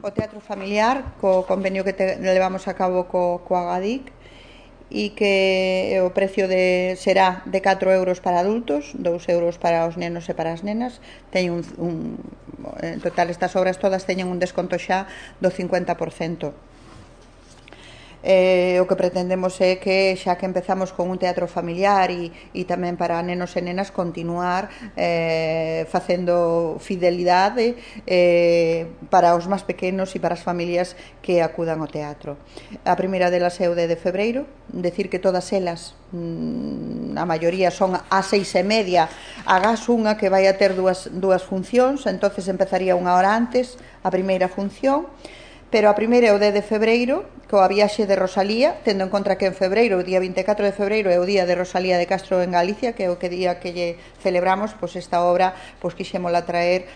o teatro familiar, co convenio que levamos a cabo coa GADIC, e que o precio será de 4 euros para adultos, 2 euros para os nenos e para as nenas. En total estas obras todas teñen un desconto xa do 50%. O que pretendemos é que, xa que empezamos con un teatro familiar e tamén para nenos e nenas, continuar facendo fidelidade para os máis pequenos e para as familias que acudan ao teatro. A primeira delas é o de febreiro, decir que todas elas, a maioría son ás 6:30, agás unha que vai a ter dúas funcións, entonces empezaría unha hora antes a primeira función. Pero a primeira é o 10 de febreiro, coa viaxe de Rosalía, tendo en conta que en febreiro, o día 24 de febreiro, é o día de Rosalía de Castro en Galicia, que é o día que lle celebramos, pois esta obra quixémola traer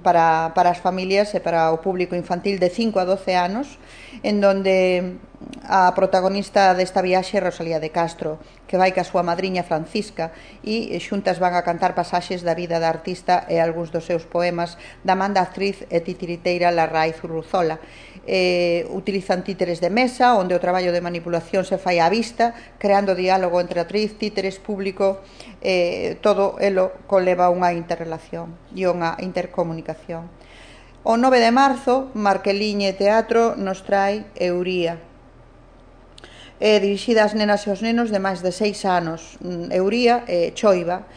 para as familias e para o público infantil de 5 a 12 anos, en donde a protagonista desta viaxe é Rosalía de Castro, que vai ca súa madriña Francisca, e xuntas van a cantar pasaxes da vida da artista e algúns dos seus poemas da man da actriz e titiriteira Larraíz Urruzola. Utilizan títeres de mesa, onde o traballo de manipulación se fai á vista, creando diálogo entre actriz, títeres, público, todo elo conleva unha interrelación e unha intercomunicación. O 9 de marzo, Marqueliñe Teatro nos trae Euría, dirixida ás nenas e aos nenos de máis de 6 anos. Euría choiva,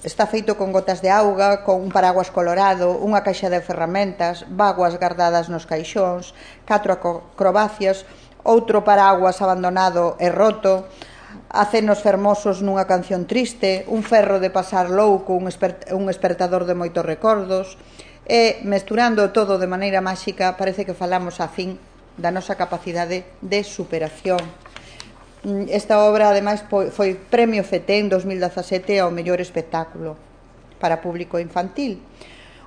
está feito con gotas de auga, con un paraguas colorado, unha caixa de ferramentas, vaguas guardadas nos caixóns, 4 acrobacias, outro paraguas abandonado e roto, acenos fermosos nunha canción triste, un ferro de pasar louco, un espertador de moitos recordos, e mesturando todo de maneira máxica, parece que falamos a fin da nosa capacidade de superación. Esta obra, ademais, foi premio FETEN 2017 ao mellor espectáculo para público infantil.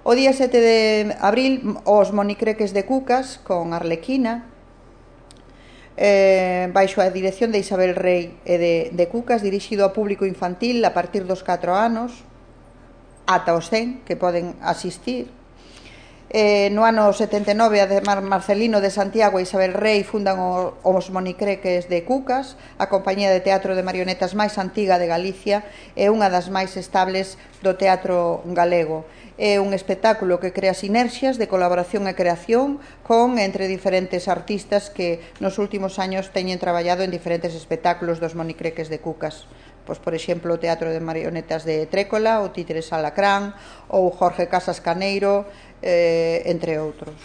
O día 7 de abril, os Monicreques de Cucas, con Arlequina, baixo a dirección de Isabel Rey e de Cucas, dirixido ao público infantil a partir dos 4 anos ata os 100 que poden asistir. No ano 79, además, Marcelino de Santiago e Isabel Rey fundan os Monicreques de Cucas, a compañía de teatro de marionetas máis antiga de Galicia e unha das máis estables do teatro galego. É un espectáculo que crea sinerxias de colaboración e creación entre diferentes artistas que nos últimos años teñen traballado en diferentes espectáculos dos Monicreques de Cucas. Pois, por exemplo, o Teatro de Marionetas de Trécola, o Títeres Alacrán, ou Jorge Casas Caneiro, entre outros.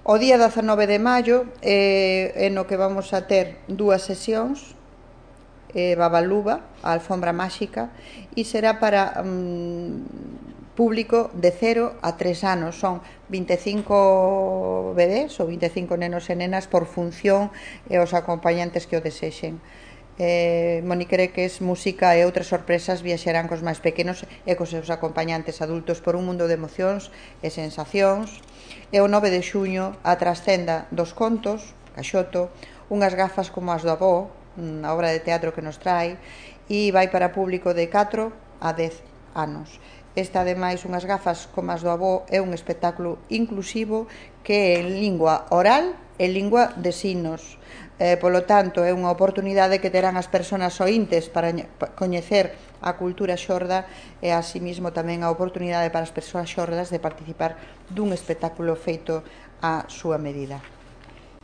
O día 19 de maio é no que vamos a ter dúas sesións, Babaluba, a alfombra máxica, e será para público de 0 a 3 anos. Son 25 bebés ou 25 nenos e nenas por función e os acompañantes que o desexen. Monicreques, música e outras sorpresas viaxarán cos máis pequenos e cos seus acompañantes adultos por un mundo de emocións e sensacións. E o 9 de xuño, a Trascenda dos Contos, Caxoto, unhas gafas como as do avó, a obra de teatro que nos trae, e vai para público de 4 a 10 anos. Esta, ademais, unhas gafas como as do avó, é un espectáculo inclusivo que é en lingua oral e lingua de signos. Polo tanto, é unha oportunidade que terán as persoas oíntes para coñecer a cultura xorda e, así mesmo, tamén a oportunidade para as persoas xordas de participar dun espectáculo feito á súa medida.